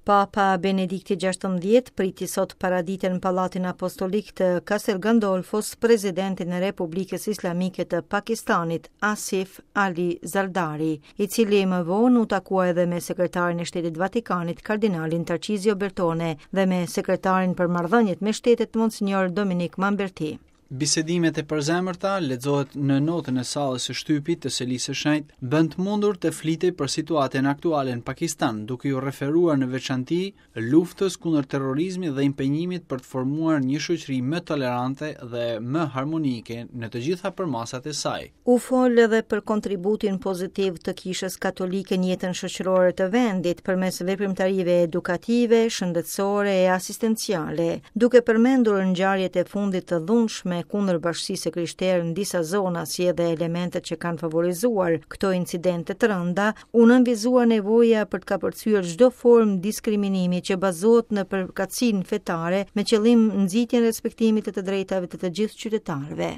Papa Benedikti XVI priti sot paradite në Pallatin Apostolik të Castel Gandolfos presidentin e Republikës Islamike të Pakistanit, Asif Ali Zardari, i cili më vonë u takua edhe me sekretarin e Shtetit të Vatikanit, kardinalin Tarcizio Bertone dhe me sekretarin për marrëdhëniet me shtetet, Monsignor Dominik Mamberti. Bisedimet e përzemërta, lexohet në notën e sallës së shtypit të Selisë së Shenjtë, bënë të mundur të flitej për situatën aktuale në Pakistan, duke iu referuar në veçanti luftës kundër terrorizmit dhe impenjimit për të formuar një shoqëri më tolerante dhe më harmonike në të gjitha përmasat e saj. U fol edhe për kontributin pozitiv të Kishës Katolike në jetën shoqërore të vendit përmes veprimtarive edukative, shëndetësore e asistenciale, duke përmendur ngjarjet e fundit të dhunshme kundër bashkësisë së krishterë në disa zona si edhe elementet që kanë favorizuar këto incidente të rënda, u nënvizua nevoja për të kapërcyer çdo formë diskriminimi që bazohet në përkatësinë fetare me qëllim nxitjen e respektimit të të drejtave të të gjithë qytetarëve.